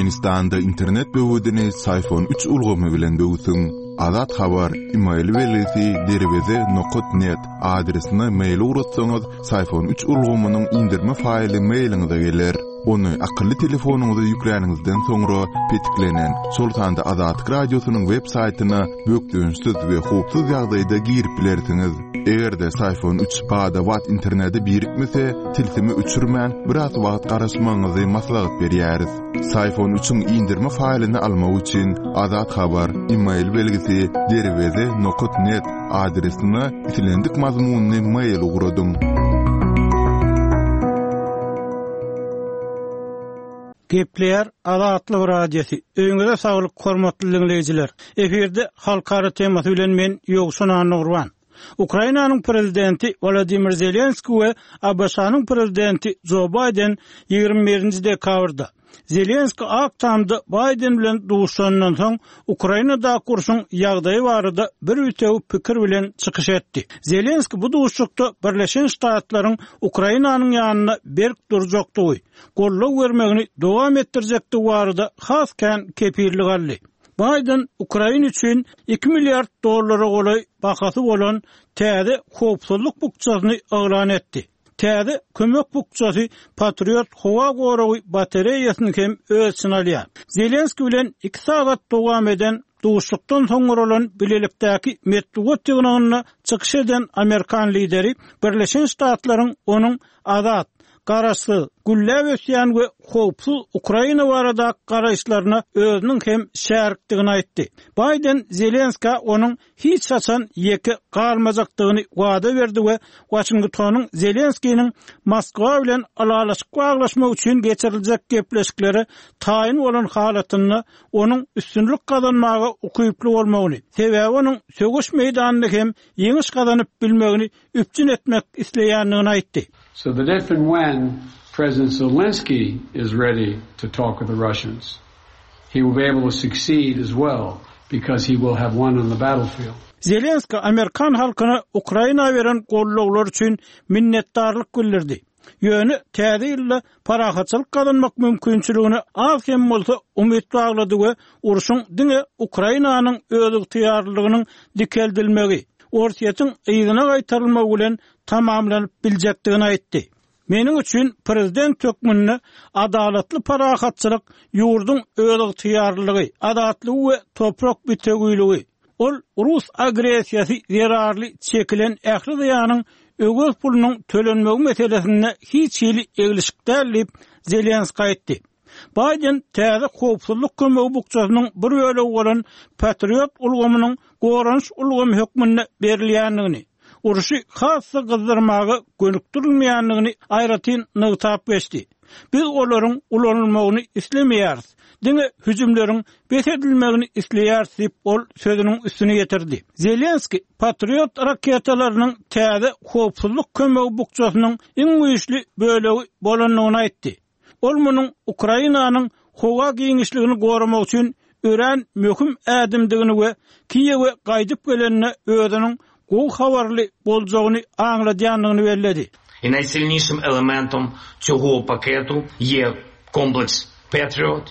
Türkmenistanda internet böwedini Syfon üç ulgamy bilen böwsüň. Azat Habar, email belgisi derweze nokat net adresine mail ugratsaňyz, Syfon üç ulgamynyň indirme faýly mailiňize geler. Ony akylly telefonyňyza ýükläniňizden soňra petiklenen, şol sanda Azatlyk Radiosynyň web saýtyna bökdençsiz we howpsuz ýagdaýda girip bilersiňiz. Eger-de Syfon üç bada-bat internete birikmese, tilsimi öçürmän, biraz wagt garaşmagyňyzy maslahat berýäris. Syfon üçiň indirme faýlyny almak üçin Azat Habar, email belgisi derweze nokat net adresine islendik mazmunly mail ugradyň. Gepleýär Azatlyk Radiosy. Öýüňize saglyk hormatly diňleýjiler. Efirde halkara temasy bilen men Ýowşan Annagurban. Ukrainanyň prezidenti Wolodymyr Zelenskiý we ABŞ-nyň prezidenti Jo Baýden 21-nji dekabrda Zelenskiý Ak Tamda Baýden bilen duşuşandan soň, Ukrainadaky urşuň ýagdaýy barada bir bitewi pikir bilen çykyş etdi. Zelenskiý bu duşuşykda Birleşen Ştatlaryň Ukrainanyň ýanynda berk durjakdygy, goldaw bermegini dowam etdirjekdigi barada has kän kepillik aldy. Baýden Ukraina üçin iki milliard dollara golaý bahasy bolan täze howpsuzlyk bukjasyny yglan etdi. Täze kömek bukjasy Patriot howa goragy batareýasyny hem öz içine alýar. Zelenskiý bilen iki sagat dowam eden duşuşykdan soň guralan bilelikdäki metbugat ýygnagynda çykyş eden amerikan lideri Birleşen Ştatlaryň onuň azat, garaşsyz, gülläp ösýän we howpsuz Ukraina baradaky garaýyşlaryna özüniň hem şärikdigini aýtdy. Baýden Zelenskä onuň hiç haçan ýeke galmajakdygyny wada berdi we Waşingtonyň Zelenskiniň Moskwa bilen ylalaşyk baglaşmak üçin geçiriljek gepleşiklere taýyn bolan halatynda onuň üstünlik gazanmaga ukyply bolmagyny, sebäbi onuň söweş meýdanynda hem ýeňiş gazanyp bilmegini üpjün etmek isleýändigini aýtdy. So that if and when President Zelensky is ready to talk with the Russians, he will be able to succeed as well because he will have won on the battlefield. Zelenskiý amerikan halkyna Ukraina beren goldawlary üçin minnetdarlyk bildirdi. Ýöne täze ýylda parahatçylyk gazanmak mümkinçiligine az hem bolsa umyt baglady we urşuň diňe Ukrainanyň özygtyýarlylygynyň dikeldilmegi, Orsýetiň yzyna gaýtarylmagy bilen tamamlanyp biljekdigini aýtdy. Meniň üçin prezident hökmünde adalatly parahatçylyk ýurduň özygtyýarlylygy, azatlygy we toprak bitewiligi, Ol rus agressiýasy zerarly çekilen ähli zyýanyň öwez pulunyň tölenmegi meselesinde hiç hili eglişik däl diýip, Zelenskiý aýtdy. Baýden täze howpsuzlyk kömegi bukjasynyň bir bölegi bolan Patriot ulgamynyň goranyş ulgamy hökmünde berilýändigini, urşy has-da gyzdyrmaga gönükdirilmeýändigini aýratyn nygtap geçdi. Biz olaryň ulanylmagyny islemeýäris, diňe hüjümleriň bes edilmegini isleýäris diýip, ol sözüniň üstüni ýetirdi. Zelenskiý Patriot raketalarynyň täze howpsuzlyk kömegi bukjasynyň iň güýçli bölegi bolandygyny aýtdy. Ol munuň Ukrainanyň howa giňişligini goramak üçin örän möhüm ädimdigini we Kiýewe gaýdyp gelende özüniň gowy habarly boljagyny aňladýandygyny belledi. I najsilnişim elementom цього paketu є kompleks Patriot,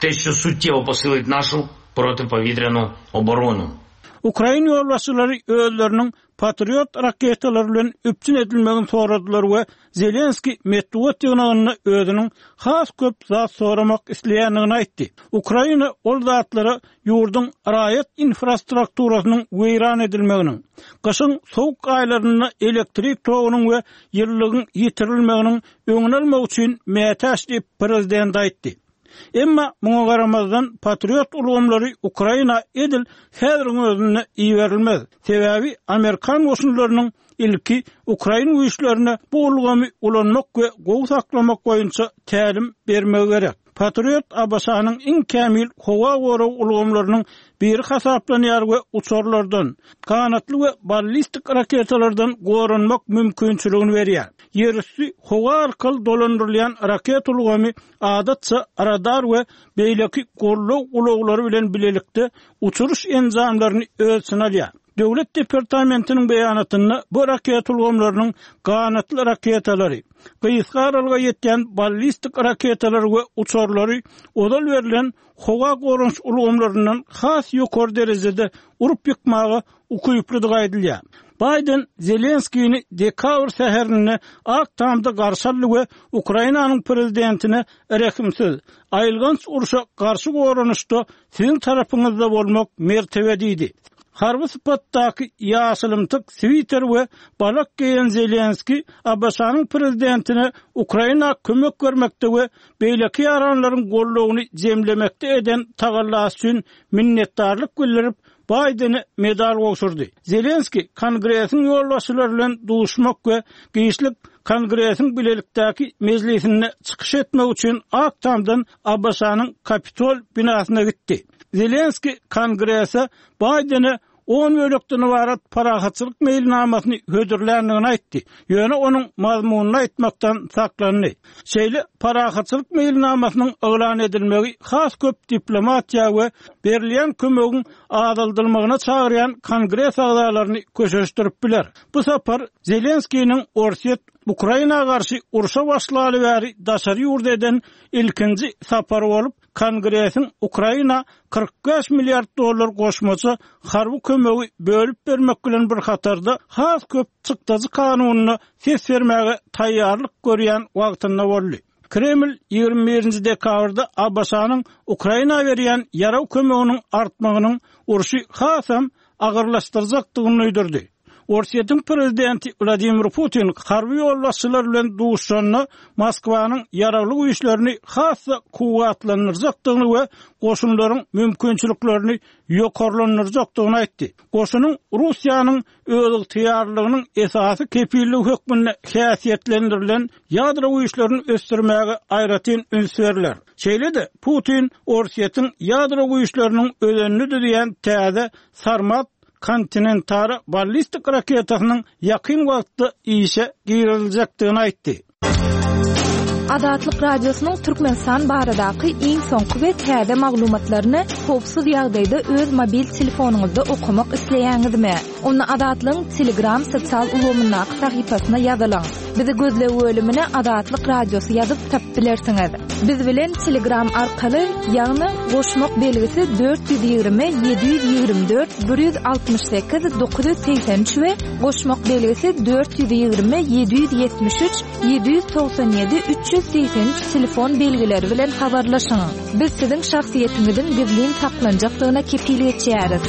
te, що suttyevo posilit našu protipovіtrяnu oboronu. Ukrain ýolbaşçylary özleriniň Patriot raketalary bilen üpjün edilmegini soradylar we Zelenskiý metbugat ýygnagynda özüniň has köp zat soramak isleýändigini aýtdy. Ukraina ol zatlara ýurduň raýat infrastrukturasynyň weýran edilmeginiň, gyşyň sowuk aýlarynda elektrik togunyň we ýylylygyň ýitirilmeginiň öňüni almak üçin mätäç diýip, prezident aýtdy. Emma muňa garamazdan, Patriot ulgamlary Ukraina edil häziriň özünde iberilmez. Sebäbi amerikan goşunlarynyň ilki ukrain güýçlerine bu ulgamy ulanmak we gowy saklamak boýunça tälim bermegi gerek. Patriot ABŞ-nyň iň kämil howa gorag ulgamlarynyň biri hasaplanýar we uçarlardan, ganatly we ballistik raketalardan goranmak mümkinçiligini berýär. Ýerüsti howa arkaly dolandyrylýan raket ulgamy adatça radar we beýleki goldaw ulaglary bilen bilelikde uçuryş enjamlaryny öz içine alýar. Döwlet departamentiniň beýanatynda bu raketa ulgamlarynyň ganatly raketalary, gysga aralyga ýetýän ballistik raketalary we uçarlary ozal berlen howa goranyş ulgamlaryndan has ýokary derejede urup ýykmaga ukyplydygy aýdylýar. Baýden Zelenskini dekabr säherinde Ak Tamda garşy aldy we Ukrainanyň prezidentine rehimsiz, aýylganç urşa garşy goranyşda siziň tarapyňyzda bolmak mertebe diýdi. Harby sypatdaky ýaşylymtyk switer we balak geýen Zelenski ABŞ-nyň prezidentine Ukraina kömek bermekde we beýleki ýaranlaryň goldawyny jemlemekde eden tagallasy üçin minnetdarlyk bildirip, Baýdene medal gowşurdy. Zelenski Kongresiň ýolbaşçylary bilen duşmak we giçlik Kongresiň bilelikdäki mejlisinde çykyş etmek üçin Ak Tamdan ABŞ-nyň Kapitol binasyna gitdi. Zelenski Kongrese Baýdene on bölekden ybarat parahatçylyk meýilnamasyny hödürländigini aýtdy, ýöne onuň mazmunyny aýtmakdan saklandy. Şeýle parahatçylyk meýilnamasynyň yglan edilmegi has köp diplomatiýa we berilýän kömegiň azaldylmagyna çagyrýan Kongres agzalaryny köşeşdirip biler. Bu sapar Zelenskiniň Orsýet Ukraina garşy urşa başlaly bäri daşary ýurda eden ilkinji sapary bolup, Kongresiň Ukraina 45 milliard dollar goşmaça harby kömegi bölüp bermek bilen bir hatarda has köp çykdajy kanunyna ses bermäge taýýarlyk görýän wagtynda boldy. Kreml 21-nji dekabrda ABŞ-nyň Ukraina berýän ýarag kömeginiň artmagynyň urşy hasam agyrlaşdyrjakdygyny duýdurdy. Orsýetiň prezidenti Wladimir Putin harby ýolbaşçylar bilen duşuşanda Moskwanyň ýaragly güýçlerini has-da kuwwatlandyrjakdygyny we goşunlaryň mümkinçiliklerini ýokarlandyrjakdygyny aýtdy. Goşunyň Russiýanyň özygtyýarlylygynyň esasy kepilligi hökmünde häsiýetlendirilen ýadro güýçlerini ösdürmäge aýratyn üns berler. Şeýle-de, Putin Orsýetiň ýadro güýçleriniň özenini düzýän täze Sarmat kontinentara ballistik raketasynyň ýakyn wagtda işe giriziljekdigini aýtdy. Azatlyk Radiosynyň Türkmenistan baradaky iň soňky we täze maglumatlaryny howpsuz ýagdaýda öz mobil telefonyňyzda okamak isleýäňizmi? Onda Azatlygyň Telegram sosial ulgamyndaky sahypasyna ýazylyň. Bizi gözleg bölümine Azatlyk Radiosy ýazyp tapyp bilersiňiz. Biz bilen Telegram arkaly, ýagny goşmak belgisi 420 724 168 983 we goşmak belgisi 420 773 797 383 telefon belgileri bilen habarlaşyň. Biz siziň şahsyýetiňiziň gizlin saklanjakdygyna kepil geçýäris.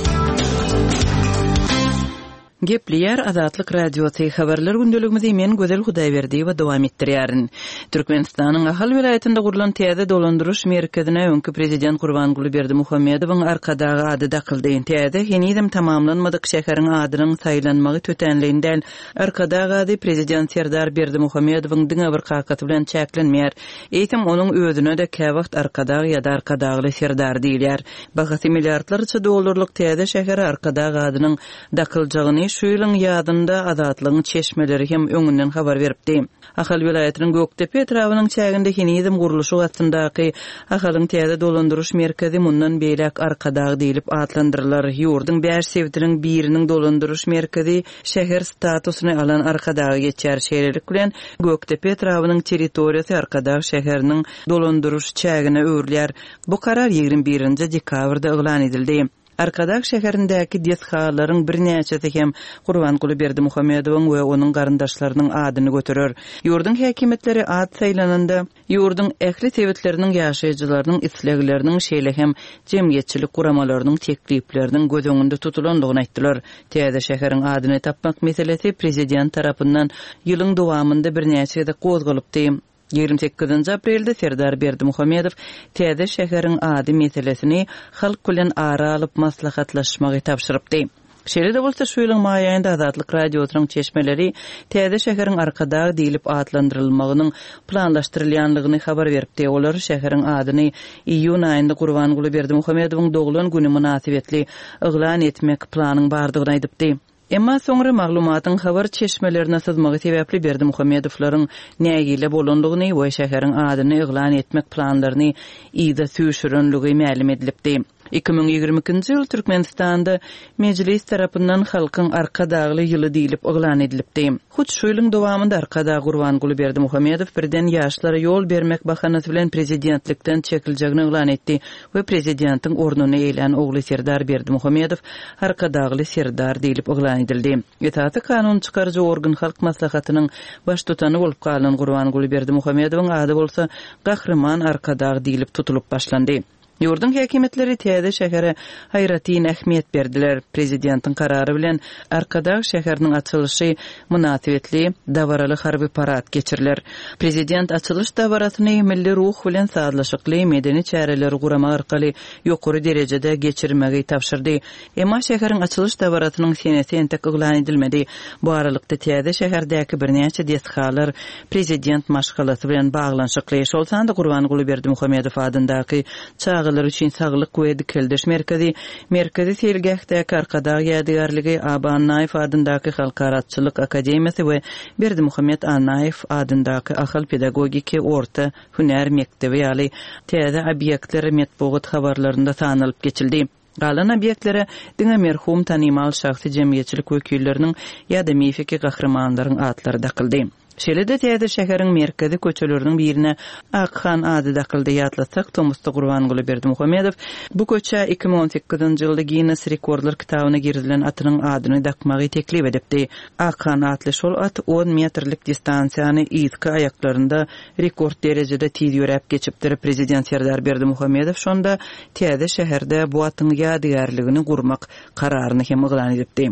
Gepleýär Azatlyk Radiosy, Habarlar gündeligimizi men Gözel Hudaýberdiýewa dowam etdirýärin. Türkmenistanyň Ahal welaýatynda gurlan täze dolandyryş merkezine öňki prezident Gurbanguly Berdimuhamedowyň Arkadag ady dakyldy. Täze, henizem tamamlanmadyk şäheriň adynyň saýlanmagy tötänleýin däl. Arkadag ady prezident Serdar Berdimuhamedowyň diňe bir kakasy bilen çäklenmeýär. Eýsem, onuň özüne-de käwagt Arkadag ýa-da Arkadagly Serdar diýilýär. Bahasy milliardlarça dollarlyk täze şähere Arkadag adynyň dakyljagyny şu ýylyň ýazynda Azatlygyň çeşmeleri hem öňünden habar beripdi. Ahal welaýatynyň Gökdepe etrabynyň çäginde henizem gurluşyk astyndaky Ahalyň täze dolandyryş merkezi mundan beýläk Arkadag diýlip atlandyrylar. Ýurduň bäş sebitiniň biriniň dolandyryş merkezi şäher statusyny alan Arkadaga geçýär. Şeýlelik bilen, Gökdepe etrabynyň territoriýasy Arkadag şäheriniň dolandyryş çägine öwrülýär. Bu karar 21-nji dekabrda yglan edildi. Arkadag şäherindäki desgalaryň birnäçesi hem Gurbanguly Berdimuhamedowyň we onuň garyndaşlarynyň adyny göterer. Ýurduň häkimiýetleri at saýlananda, ýurduň ähli sebitleriniň ýaşaýjylarynyň islegleriniň, şeýle hem jemgyýetçilik guramalarynyň teklipleriniň göz öňünde tutulandygyny aýtdylar. Täze şäheriň adyny tapmak meselesi prezident tarapyndan ýylyň dowamynda birnäçe gezek gozgalypdy. 28 aprelde Serdar Berdimuhamedow täze şäheriň ady meselesini halk bilen ara alyp maslahatlaşmagy tabşyrypdy. Şeýle-de bolsa, şu ýylyň maý aýynda Azatlyk Radiosynyň çeşmeleri täze şäheriň Arkadag diýlip atlandyrylmagynyň planlaşdyrylýanlygyny habar beripdi. Olar şäheriň adyny iýun aýynda Gurbanguly Berdimuhamedowyň doglan güni mynasybetli yglan etmek planyň bardygyny aýdypdy. Emma soňra maglumatyň habar çeşmelerine syzmagy sebäpli Berdimuhamedowlaryň nägile bolandygyny we şäheriň adyny yglan etmek planlaryny yza süýşürenligi mälim edilipdi. 2022-nji ýyl Türkmenistanda Mejlis tarapyndan Halkyň Arkadagly ýyly diýlip yglan edilipdi. Hut şu ýylyň dowamynda Arkadag Gurbanguly Berdimuhamedow birden ýaşlara ýol bermek bahanasy bilen prezidentlikden çekiljegini yglan etdi we prezidentiň ornuny eýlän ogly Serdar Berdimuhamedow Arkadagly Serdar diýlip yglan edildi. Esasy kanun çykaryjy organ Halk Maslahatynyň Baştutany bolup galan Gurbanguly Berdimuhamedowyň ady bolsa Gahryman Arkadag diýlip tutulyp başlandy. Ýurduň häkimiýetleri täze şähere aýratyn ähmiýet berdiler. Prezidentiň karary bilen Arkadag şäheriniň açylyşy mynasybetli dabaraly harby parad geçiriler. Prezident açylyş dabarasyny milli ruh bilen sazlaşykly medeni çäreleri guramak arkaly ýokary derejede geçirmegi tabşyrdy. Emma şäheriň açylyş dabarasynyň senesi entek yglan edilmedi. Bu aralykda täze şäherdäki birnäçe desgalar prezident maşgalasy bilen baglanyşykly, şol sanda Gurbanguly Berdimuhamedow adyndaky çagalar üçin saglyk we dikeldiş merkezi, Merkezi seýilgähdäki Arkadag ýadygärligi, Aba Annaýew adyndaky Halkara atçylyk akademiýasy we Berdimuhamet Annaýew adyndaky Ahal pedagogiki orta hünär mekdebi ýaly täze obýektler metbugat habarlarynda sanalyp geçildi. Galan obýektlere diňe merhum tanymal şahsy jemgyýetçilik wekilleriniň ýa-da mifiki gahrymanlaryň atlary dakyldy. Şeýle-de täze şäheriň merkezi köçeleriniň birine Akhan ady dakyldy. Ýatlatsak, tomusda Gurbanguly Berdimuhamedow bu köçä 2018-nji ýylda Ginnes rekordlar kitabyna girizilen atynyň adyny dakmagy teklip edipdi. Akhan atly şol at on metrlik distansiýany yzky aýaklarynda rekord derejede tiz ýöräp geçipdir. Prezident Serdar Berdimuhamedow şonda täze şäherde bu atyň ýadygärligini gurmak kararyny hem yglan edipdi.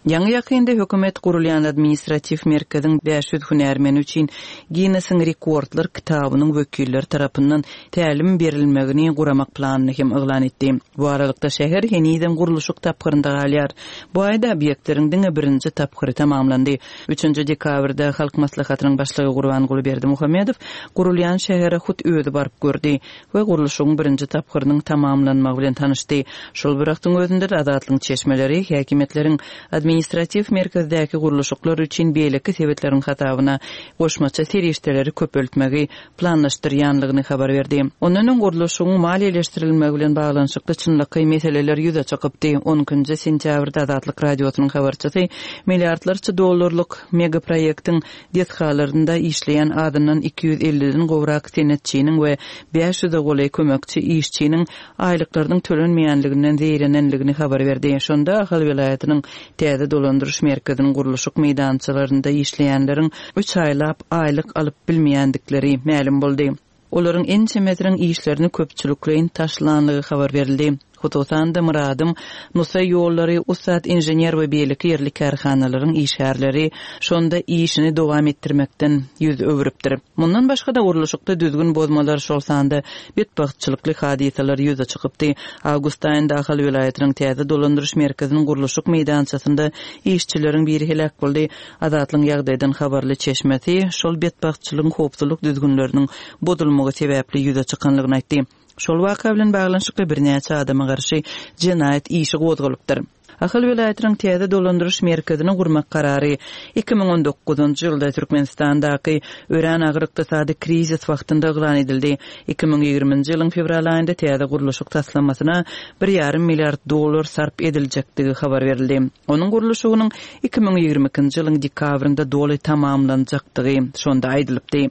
Ýaňy-ýakynda hökümet gurulýan administratiw merkeziň 500 hünärmeni üçin Ginnesiň rekordlar kitabynyň wekilleri tarapyndan tälim berilmegini guramak planyny hem yglan etdi. Bu aralykda şäher henizem gurluşyk tapgyrynda galýar. Bu aýda obýektleriň diňe birinji tapgyry tamamlandy. Üçünji dekabrda Halk Maslahatynyň Başlygy Gurbanguly Berdimuhamedow gurulýan şähere hut özi baryp gördi we gurluşygyň birinji tapgyrynyň tamamlanmagy bilen tanyşdy. Şol bir wagtyň özünde-de Azatlygyň çeşmeleri häkimiýetleriň administratiw merkezdäki gurluşyklar üçin beýleki sebitleriň hasabyna goşmaça serişdeleri köpeltmegi planlaşdyrýanlygyny habar berdi. Ondan öň gurluşygyň maliýeleşdirilmegi bilen baglanyşykly çynlakaý meseleler ýüze çykypdy. On ikinji sentýabrda Azatlyk Radiosynyň habarçysy milliardlarça dollarlyk megaproýektiň desgalarynda işleýän azyndan 250-den gowrak senetçiniň we 500-e golaý kömekçi işçiniň aýlyklarynyň tölenmeýänliginden zeýrenenligini habar berdi. Şonda Ahal welaýatynyň täze dolandyryş merkeziniň gurluşyk meýdançalarynda işleýänleriň üç aýlap aýlyk alyp bilmeýändikleri mälim boldy. Olaryň ençemesiniň işlerini köpçülikleýin taşlanlygy habar berildi. Hususan-da, Myradym, Nusaý ýollary, Ussat inžener we beýleki ýerli kärhanalaryň işgärleri şonda işini dowam etdirmekden ýüz öwrüpdir. Mundan başga-da, gurluşykda düzgün bozmalar, şol sanda betbagtçylykly hadysalar ýüze çykypdy. Awgust aýynda Ahal welaýatynyň täze dolandyryş merkeziniň gurluşyk meýdançasynda işçileriň biri heläk boldy. Azatlygyň ýagdaýdan habarly çeşmesi şol betbagtçylygyň howpsuzlyk düzgünleriniň bozulmagy sebäpli ýüze çykanlygyny aýtdy. Şol waka bilen baglanyşykly birnäçe adama garşy jenaýat işi gozgalypdyr. Ahal welaýatynyň täze dolandyryş merkezini gurmak karary 2019-njy ýylda Türkmenistandaky örän agyr ykdysady krizis wagtynda yglan edildi. 2020-nji ýylyň fewral aýynda täze gurluşyk taslamasyna bir ýarym milliard dollar sarp ediljekdigi habar berildi. Onuň gurluşygynyň 2022-nji ýylyň dekabrynda doly tamamlanjakdygy şonda aýdylypdy.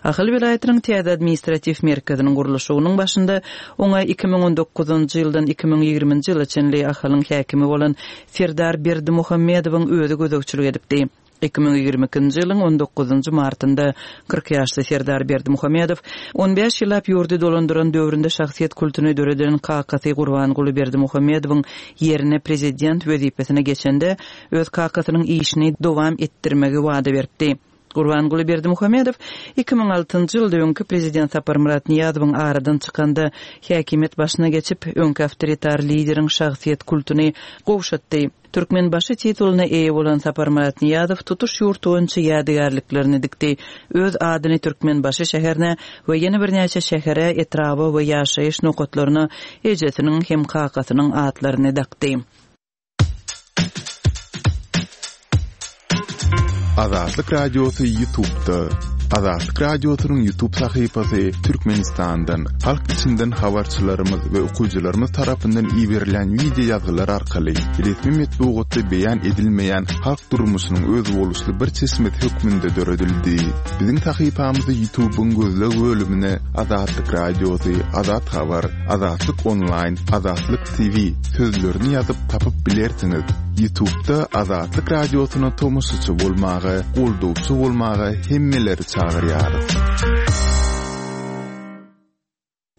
Ahal welaýatynyň täze administratiw merkeziniň gurluşygynyň başynda oňa 2019-njy ýyldan 2020-nji ýyla çenli Ahalyň häkimi bolan Serdar Berdimuhamedowyň özi gözegçilik edipdi. 2022-nji ýylyň on dokuzynjy martynda 40 ýaşly Serdar Berdimuhamedow on bäş ýyllap ýurdy dolandyran döwründe şahsyýet kultuny döreden kakasy Gurbanguly Berdimuhamedowyň ýerine prezident wezipesine geçende öz kakasynyň işini dowam etdirmegi wada beripdi. Gurbanguly Berdimuhamedow 2006-njy ýylda öňki prezident Saparmyrat Nyýazowyň aradan çykanda häkimiýet başyna geçip, öňki awtoritar lideriň şahsyýet kultuny gowşatdy. Türkmenbaşy titulyna eýe bolan Saparmyrat Nyýazow tutuş ýurt boýunça ýadygärliklerini dikdi. Öz adyny Türkmenbaşy şäherine we ýene birnäçe şähere, etraba we ýaşaýyş nokatlaryna ejesiniň hem kakasynyň atlaryny dakdy. Azatlyk Radiosy YouTube'da. Azatlyk Radiosynyň YouTube sahypasy Türkmenistandan, halk içinden habarçylarymyz we okyjylarymyz tarapyndan iberilýän wideo ýazgylar arkaly resmi metbugatda beýan edilmeýän halk durmuşynyň özboluşly bir çeşmesi hökmünde döredildi. Biziň sahypamyzy YouTube-yň gözleg bölümine Azatlyk Radiosy, Azat Habar, Azatlyk Onlaýn, Azatlyk TV sözlerini ýazyp tapyp bilersiňiz. Ýutubda Azatlyk Radiosyna tomaşaçy bolmaga, goldawçy bolmaga hemmeleri çagyrýarys.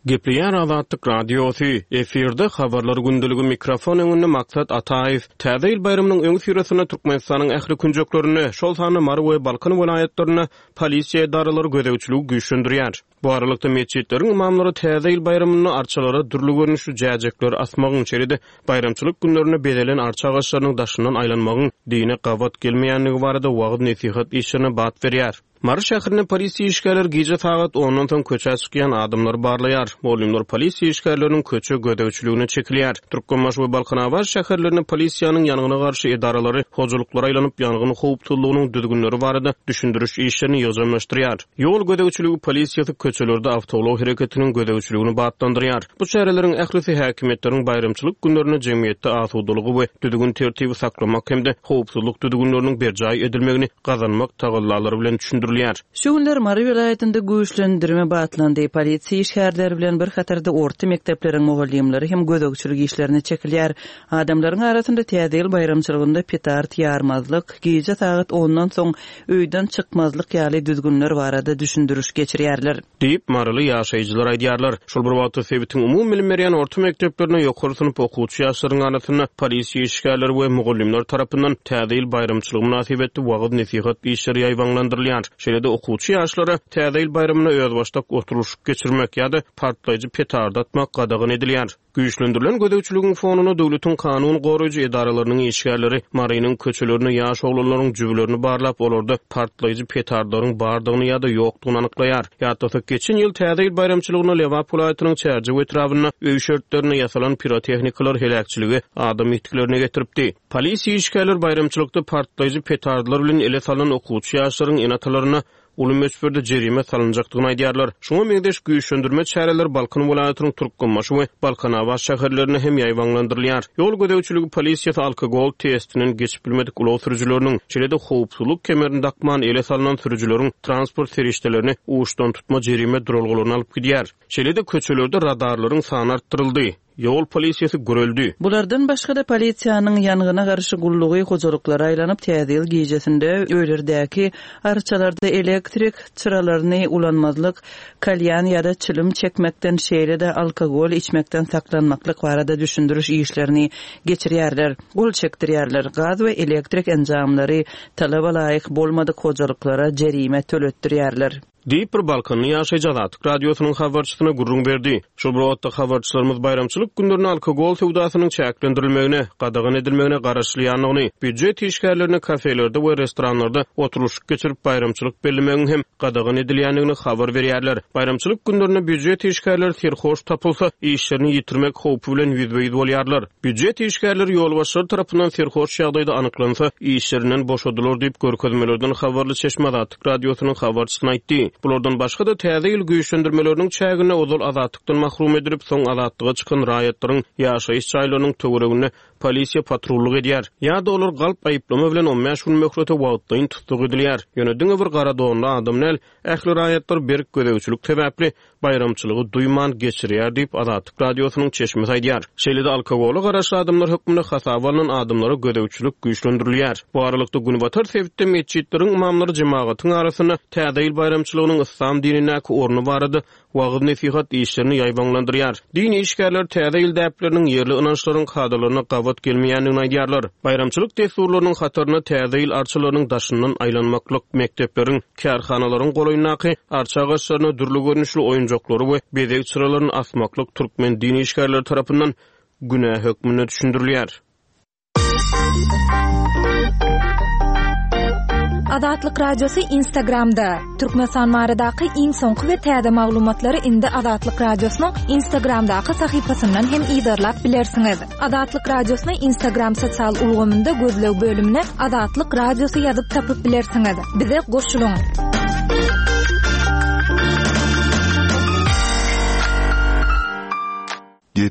Gepleýär Azatlyk Radiosy, efirde Habarlar gündeligi mikrofon öňünde Maksat Ataýew. Täze ýyl baýramynyň öňüsyrasynda Türkmenistanyň ähli künjeklerinde, şol sanda Mary we Balkan welaýatlarynda polisiýa edaralary gözegçiligi güýçlendirýär. Bu aralykda, metjitleriň ymamlary Täze ýyl baýramynda arçalara dürli görnüşli jäjekleri asmagyň, şeýle-de baýramçylyk günlerinde bezelen arça agaçlarynyň daşyndan aýlanmagyň dine gabat gelmeýändigi barada wagyz-nesihat işlerine bat berýär. Mary şäherinde polisiýa işgärleri gije sagat ondan soň köçä çykýan adamlary barlaýar. Mugallymlar polisiýa işgärleriniň köçe gözegçiligine çekilýär. Türkmenbaşy we Balkanabat şäherlerinde polisiýanyň ýangyna garşy edaralary hojalyklara aýlanyp, ýangyn howpsuzlygynyň düzgünleri barada düşündiriş işlerini ýygjamlaşdyrýar. Ýol gözegçiligi polisiýasy köçelerde awtoulag hereketiniň gözegçiligini batlandyrýar. Bu çäreleriň ählisi häkimiýetleriň baýramçylyk günlerinde jemgyýetde asudalygy we düzgün-tertibi saklamak hem-de howpsuzlyk düzgünleriniň berjaý edilmegini gazanmak tagallalary bilen düşündirilýär. Şu günler Mary welaýatynda güýçlendirme batlandy. Polisiýa işgärleri bilen bir hatarda orta mekdepleriň mugallymlary hem gözegçilik işlerine çekilýär. Adamlaryň arasynda Täze ýyl baýramçylygynda petard ýarmazlyk, gije sagat ondan soň öýden çykmazlyk ýaly düzgünler barada düşündiriş geçirýärler. Diýip, maryly ýaşaýjylar aýdýarlar. Şol bir wagtda, sebitiň umumybilim berýän orta mekdeplerinde ýokary synp okuwçy ýaşlaryň arasynda polisiýa işgärleri we mugallymlar tarapyndan Täze ýyl baýramçylygy mynasybetli wagyz-nesihat işleri ýaýbaňlandyrylýar. Şeýle-de, okuwçy ýaşlara Täze ýyl baýramynda özbaşdak oturylyşyk geçirmek ýa-da partlaýjy petardy atmak gadagan edilýär. Güýçlendirilen gözegçiligiň fonunda döwletiň kanun goraýjy edaralarynyň işgärleri Marynyň köçelerinde ýaş oglanlaryň jübülerini barlap, olarda partlaýjy petardlaryň bardygyny ýa-da ýokdugyny anyklaýar. Ýatlasak, geçen ýyl Täze ýyl baýramçylygynda Lebap welaýatynyň Çärjew etrabynda öý şertlerinde ýasalan pirotehnikalar heläkçilige, adam ýitgilerine getiripdi. Polisiýa işgärleri baýramçylykda partlaýjy petardlar bilen ele salnan okuwçy ýaşlaryň ene-atalaryna uly möçberde jerime salynjakdygyny aýdýarlar. Şuňa meňzeş güýçlendirme çäreleri Balkan welaýatynyň Türkmenbaşy we Balkanabat şäherlerinde hem ýaýbaňlandyrylýar. Ýol gözegçiligi polisiýasy alkogol testinden geçip bilmedik ulag sürüjileriniň, şeýle-de howpsuzlyk kemerini dakman ele salnan sürüjileriň transport serişdelerini uçdantutma jerime duralgalaryna alyp gidýär. Şeýle-de köçelerde radarlaryň sany artdyryldy. Ýol polisiýasy güreldi. Bulardan başga-da polisiýanyň ýangyna garşy gullugy hojalyklara aýlanyp, Täze ýyl gijesinde öýlerdäki arçalarda elektrik çyralaryny ulanmazlyk, kalýan ýa-da çilim çekmekden, şeýle-de alkogol içmekden saklanmaklyk barada düşündiriş işlerini geçirýärler, gol çekdirýärler, gaz we elektrik enjamlary talaba laýyk bolmadyk hojalyklara jerime töletdirýärler. Diýip, bir balkanly ýaşaýjy Azatlyk Radiosynyň habarçysyna gürrüň berdi. Şol bir wagtda, habarçylarymyz baýramçylyk günlerinde alkogol söwdasynyň çäklendirilmegine, gadagan edilmegine garaşylýandygyny, býujet işgärlerine kafelerde we restoranlarda oturylyşyk geçirip baýramçylyk bellemegiň hem gadagan edilýändigini habar berýärler. Baýramçylyk günlerinde býujet işgärleri serhoş tapylsa, işlerini ýitirmek howpy bilen ýüzbe-ýüz bolýarlar. Býujet işgärleri ýolbaşçylar tarapyndan serhoş ýagdaýda anyklansa, işlerinden boşadylar diýip, görkezmelerden habarly çeşme Azatlyk Radiosynyň habarçysyna aýtdy. Bulardan başga-da, täze ýyl güýçlendirmeleriniň çäginde ozal azatlykdan mahrum edilip, soň azatlyga çykan raýatlaryň ýaşaýyş jaýlarynyň töwereginde polisiýa patrullyk edýär. Ýa-da olar galp aýyplama bilen on bäş gün möhlete wagtlaýyn tussag edilýär. Ýöne diňe bir gara donly adam däl, ähli raýatlar berk gözegçilik sebäpli baýramçylygy duýman geçirýär diýip, Azatlyk Radiosynyň çeşmesi aýdýar. Şeýle-de alkogola garaşly adamlar hökmünde hasaba alnan adamlara gözegçilik güýçlendirilýär. Bu aralykda, günbatar sebitde metjitleriň ymamlary jemagatyň arasynda Täze ýyl baýramçylygynyň yslam dinindäki orny barada wagyz-nesihat işlerini ýaýbaňlandyrýar. Din işgärleri Täze ýyl däpleriniň ýerli ynançlaryň kadalaryna gabat gelmeýändigini aýdýarlar. Baýramçylyk dessurlarynyň hatarynda Täze ýyl arçalarynyň daşyndan aýlanmaklyk, mekdepleriň, Kärhanalaryň golaýyndaky arça agaçlaryna dürli görnüşli oýunjaklary we bezeg çyralaryny asmaklyk türkmen din işgärleri tarapyndan günä hökmünde düşündirilýär. Azatlyk Radiosy Instagramda, Türkmenistan baradaky iň soňky we täze maglumatlary indi Azatlyk Radiosynyň Instagramdaky sahypasyndan hem yzarlap bilersiňiz. Azatlyk Radiosyny Instagram sosial ulgamynda gözleg bölümine Azatlyk Radiosy ýazyp tapyp bilersiňiz. Bize goşulyň!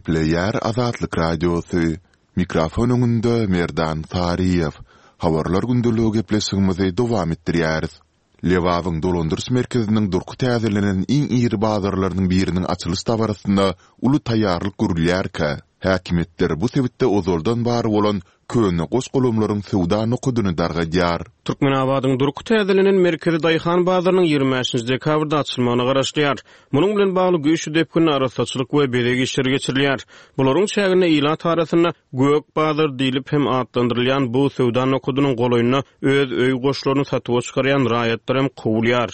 Gepleýär Azatlyk Radiosy, Mikrofon öňünde Merdan Saryýew. Habarlar gündeligi gepleşigimizi dowam etdirýäris. Lebabyň dolandyryş merkeziniň durky täzelenen iň iri bazarlarynyň biriniň açylyş dabarasyna uly taýýarlyk görülýärkä, häkimiýetler bu sebitde ozaldan bar bolan köne goş-golamlaryň söwda nokadyny dargadýar. Türkmenabadyň durky täzelenen merkezi daýhan bazarynyň 25 nji dekabrda açylmagyna garaşylýar. Munuň bilen bagly güýçli depginde arassaçylyk we bezeg işleri geçirilýär. Bularyň çäginde ilat arasynda Gök bazar diýlip hem atlandyrylýan bu söwda nokadynyň golaýynda öz öý goşlaryny satuwa çykarýan raýatlar hem kowulýar.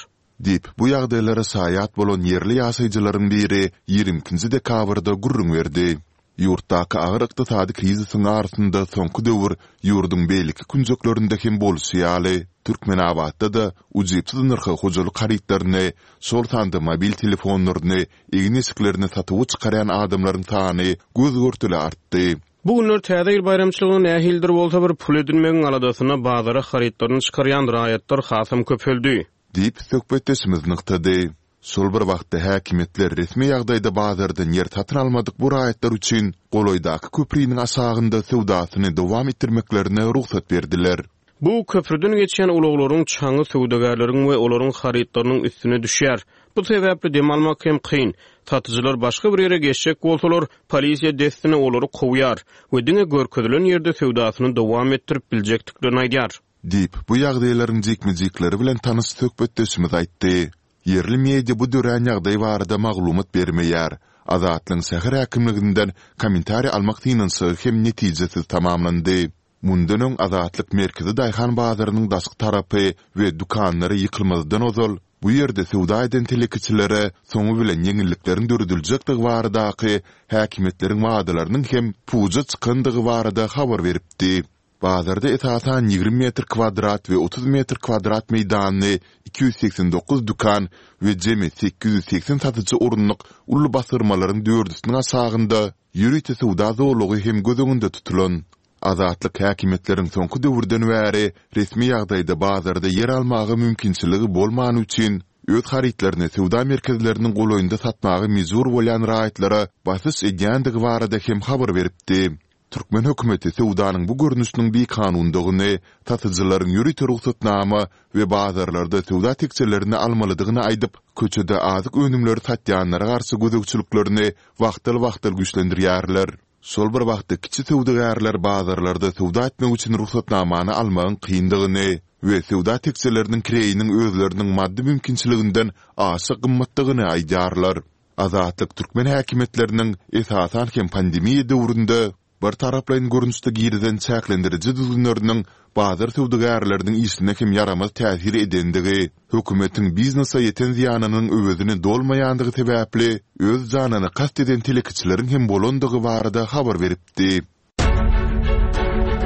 Diýip, bu ýagdaýlara şaýat bolan ýerli ýaşaýjylaryň biri 22 nji dekabrda gürrüň berdi. Ýurtdaky agyr ykdysady krizisiň arasynda soňky döwür ýurduň beýleki künjeklerinde hem bolşy ýaly, Türkmenabatda-da ujypsyz nyrha hojalyk harytlaryny, şol sanda mobil telefonlaryny, egin-eşiklerini satuwa çykarýan adamlaryň sany göz-görtele artdy. Bu günler Täze ýyl baýramçylygyna nähilidir bolsa bir pul edinmegiň aladasynda bazara harytlaryny çykarýan raýatlar hasam köpeldi. Diýip, söhbetdeşimiz nygtady. Şol bir wagtda, häkimiýetler resmi ýagdaýda bazardan ýer satyn almadyk bu raýatlar üçin golaýdaky köpriniň aşagynda söwdasyny dowam etdirmeklerine rugsat berdiler. Bu köprüden geçýän ulaglaryň çaňy söwdagärleriň we olaryň harytlarynyň üstüne düşýär. Bu sebäpli dem almak hem kyn. Satyjylar başga bir ýere geçjek bolsalar, polisiýa dessine olary kowýar we diňe görkezilen ýerde söwdasyny dowam etdirip biljekdiklerini aýdýar. Diýip, bu ýagdaýlaryň jikme-jikleri bilen tanyş söhbetdeşimiz aýtdy. Ýerli media bu dörän ýagdaý barada maglumat bermeýär. Azatlygyň şäher häkimliginden kommentariý almak synanyşygy hem netijesiz tamamlandy. Mundan öň Azatlyk merkezi daýhan bazarynyň daşky tarapy we dükanlary ýykylmazdan ozal, bu ýerde söwda eden telekeçilere soňy bilen ýeňillikleriň dörediljekdigi baradaky häkimiýetleriň wadalarynyň hem puja çykandygy barada habar beripdi. Bazarda esasan 20 metr kwadrat we 30 metr kwadrat meýdanly 289 dükan we jemi 880 satyjy orunlyk uly basyrmalaryň dördüsiniň aşagynda ýörite söwda zolagy hem göz öňünde tutulan. Azatlyk häkimiýetleriň soňky döwürden bäri resmi ýagdaýda bazarda ýer almaga mümkinçiligi bolmany üçin, öz harytlaryny söwda merkezleriniň golaýynda satmaga mejbur bolýan raýatlara basyş edýändigi barada hem habar beripdi. Türkmen hökümeti söwdanyň bu görnüşiniň bikanundygyny, satyjylaryň ýörite rugsatnama we bazarlarda söwda tekjelerini almalydygyny aýdyp, köçede azyk önümleri satýanlara garşy gözegçiliklerini wagtal-wagtal güýçlendirýärler. Şol bir wagtda kiçi söwdagärler bazarlarda söwda etmek üçin rugsatnamany almagyň kyndygyny we söwda tekjeleriniň kireýiniň özleriniň maddy mümkinçiliginden aşa gymmatdygyny aýdýarlar. Azatlyk türkmen häkimiýetleriniň, esasan hem pandemiýa döwründe, birtaraplaýyn görnüşde girizen çäklendiriji düzgünleriniň bazar söwdagärleriniň işine hem ýaramaz täsir edendigi, hökümetiň biznese ýeten zyýanynyň öwezini dolmaýandygy sebäpli öz janyna kast eden telekeçileriň hem bolandygy barada habar beripdi.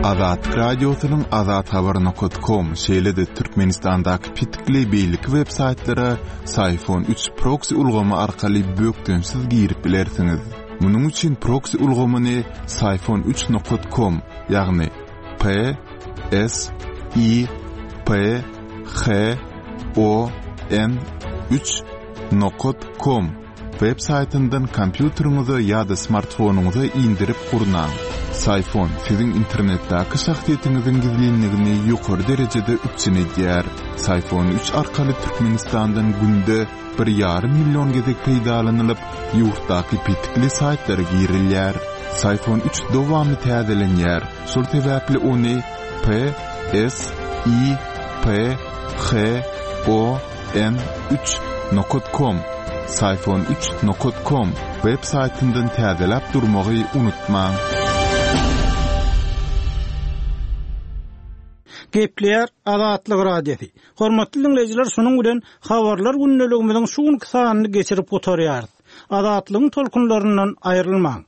Azatlyk Radiosynyň azathabar nokat kom, şeýle-de Türkmenistandaky petikli beýleki web saýtlara Syfon 3 proksi ulgamy arkaly bökdençsiz girip bilersiňiz. Munuň üçin proksi ulgamyny syfon 3 nokat kom, ýagny P S I P H O N 3 nokat kom Web saýtyndan kompýuteriňize ýa-da smartfonyňyza indirip gurnaň. Syfon siziň internetdäki şahsyýetiňiziň gizlinligini ýokary derejede üpjün edýär. Syfon 3 arkaly Türkmenistandan günde bir ýarym million gezek peýdalanylyp, ýurtdaky petikli saýtlara girilýär. Syfon 3 dowamly täzelenýär, şol sebäpli ony P S I P H O N 3 nokat kom Syfon 3 nokat kom web saýtyndan täzeläp durmagy unutmaň. Gepleýär Azatlyk Radiosy. Hormatly diňleýjiler şunuň bilen Habarlar gündeligimiziň şu günki sanyny geçirip gutarýarys. Azatlygyň tolkunlaryndan aýrylmaň.